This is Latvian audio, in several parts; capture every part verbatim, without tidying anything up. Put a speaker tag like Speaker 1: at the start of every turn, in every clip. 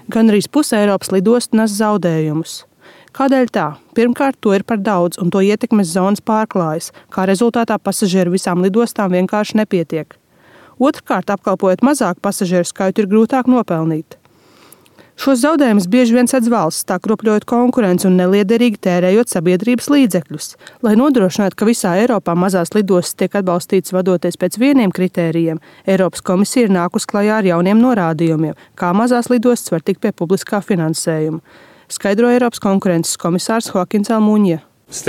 Speaker 1: Gandrīz puse Eiropas lidostu nes zaudējumus. Kādēļ tā? Pirmkārt, to ir par daudz un to ietekmes zonas pārklājas, kā rezultātā pasažieru visām lidostām vienkārši nepietiek. Otrkārt, apkalpojot mazāku pasažieru skaitu, ir grūtāk nopelnīt. Šos zaudējumus bieži vien sedz valsts, tā kropļojot konkurenci un neliederīgi tērējot sabiedrības līdzekļus. Lai nodrošinātu, ka visā Eiropā mazās lidostas tiek atbalstītas vadoties pēc vieniem kritērijiem, Eiropas komisija ir nākus klajā ar jauniem norādījumiem, kā mazās lidostas var tikt pie publiskā finansējuma, skaidro Eiropas konkurences komisārs Joakins Almuņa.
Speaker 2: Valsts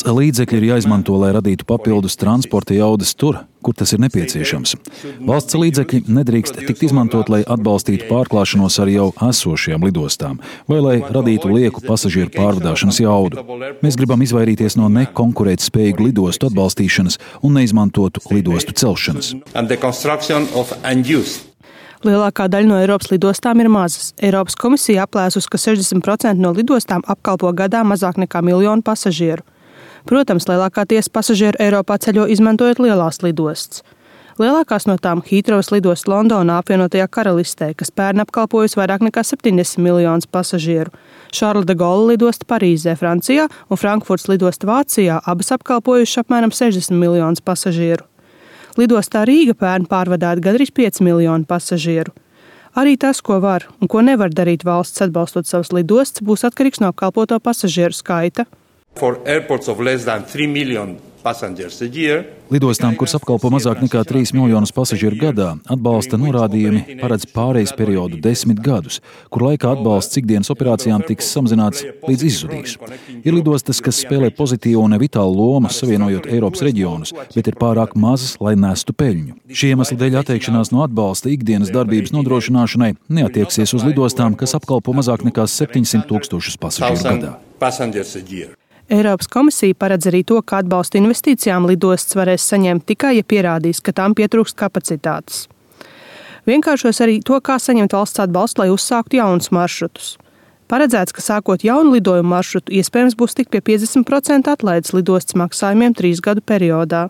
Speaker 2: līdzekļi ir jāizmanto, lai radītu papildus transporta jaudas tur, kur tas ir nepieciešams. Valsts līdzekļi nedrīkst tikt izmantot, lai atbalstītu pārklāšanos ar jau esošajām lidostām vai lai radītu lieku pasažieru pārvadāšanas jaudu. Mēs gribam izvairīties no nekonkurētspējīgu lidostu atbalstīšanas un neizmantotu lidostu celšanas.
Speaker 1: Lielākā daļa no Eiropas lidostām ir mazas. Eiropas komisija aplēsus, ka sešdesmit procenti no lidostām apkalpo gadā mazāk nekā miljonu pasažieru. Protams, lielākā tiesa pasažieru Eiropā ceļo izmantojot lielās lidostas. Lielākās no tām Hītrovas lidosta Londonā apvienotajā karalistē, kas pērn apkalpojusi vairāk nekā septiņdesmit miljonus pasažieru. Šarla de Gaulle lidosta Parīzē, Francijā un Frankfurtas lidosta Vācijā abas apkalpojuši apmēram sešdesmit miljonus pasažieru. Lidostā Rīga pērn pārvadāt gandrīz pieci miljoni pasažieru. Arī tas, ko var un ko nevar darīt valsts atbalstot savas lidostas, būs atkarīgs no apkalpoto pasažieru skaita.
Speaker 2: Lidostām, kuras apkalpo mazāk nekā trīs miljonus pasažieru gadā, atbalsta norādījumi paredz pārejas periodu desmit gadus, kur laikā atbalsts ikdienas operācijām tiks samazināts līdz izzudīs. Ir lidostas, kas spēlē pozitīvu un vitālu lomu savienojot Eiropas reģionus, bet ir pārāk mazas, lai nestu peļņu. Šī iemesla dēļ atteikšanās no atbalsta ikdienas darbības nodrošināšanai neatieksies uz lidostām, kas apkalpo mazāk nekā septiņsimt tūkstošus pasažieru gadā.
Speaker 1: Eiropas komisija paredz arī to, ka atbalstu investīcijām lidostas varēs saņemt tikai, ja pierādīs, ka tām pietrūkst kapacitātes. Vienkāršos arī to, kā saņemt valsts atbalstu, lai uzsāktu jaunus maršrutus. Paredzēts, ka sākot jaunu lidojumu maršrutu, iespējams būs tik pie piecdesmit procentu atlaides lidostas maksājumiem trīs gadu periodā.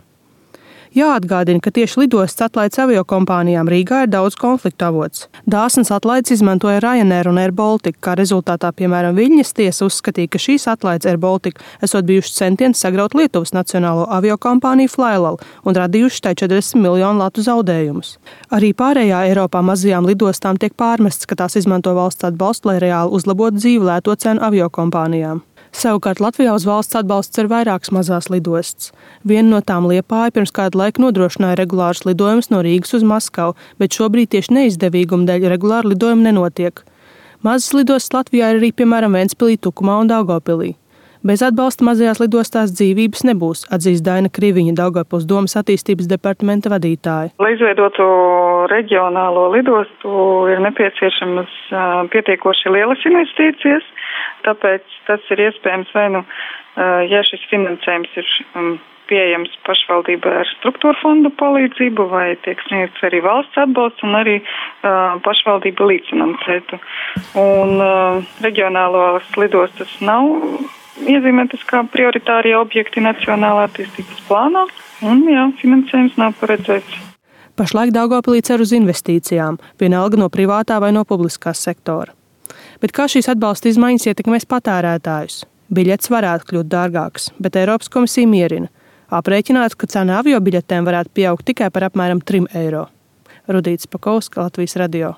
Speaker 1: Jāatgādina, ka tieši lidostas atlaides aviokompānijām Rīgā ir daudz konfliktu avots. Dāsnas atlaides izmantoja Ryanair un Air Baltica, kā rezultātā, piemēram, Viļņas tiesa uzskatīja, ka šīs atlaides Air Baltica esot bijušas centieni sagraut Lietuvas nacionālo aviokompāniju Flylal un radījuši tai četrdesmit miljonu latu zaudējumus. Arī pārējā Eiropā mazajām lidostām tiek pārmests, ka tās izmanto valsts atbalstu, lai reāli uzlabotu dzīvi lēto cenu aviokompānijām. Savukārt Latvijā uz valsts atbalsts ir vairākas mazās lidostas. Viena no tām Liepāja pirms kādu laiku nodrošināja regulārus lidojumus no Rīgas uz Maskavu, bet šobrīd tieši neizdevīguma dēļ regulāri lidojumi nenotiek. Mazas lidostas Latvijā ir arī, piemēram, Ventspilī, Tukumā un Daugavpilī. Bez atbalsta mazajās lidostās dzīvības nebūs, atzīst Daina Kriviņa, Daugavpils domas attīstības departamenta vadītāja.
Speaker 3: Lai izveidotu reģionālo lidostu, ir nepieciešamas pietiekoši lielas investīcijas, tāpēc tas ir iespējams vai nu, ja šis finansējums ir pieejams pašvaldībai ar struktūra fondu palīdzību, vai tiek sniegts arī valsts atbalsts un arī uh, pašvaldība līdzfinansētu. Un uh, reģionālās lidostas nav iezīmētas kā prioritārie objekti nacionālā attīstības plānā, un jā, finansējums nav paredzēts.
Speaker 1: Pašlaik Daugavpilī cer uz investīcijām, vienalga no privātā vai no publiskā sektora. Bet kā šīs atbalsta izmaiņas ietekmēs patērētājus? Biļetes varētu kļūt dārgākas, bet Eiropas komisija mierina. Aprēķināts, ka cena aviobiļetēm varētu pieaugt tikai par apmēram trim eiro. Rudīts Pakausks, Latvijas radio.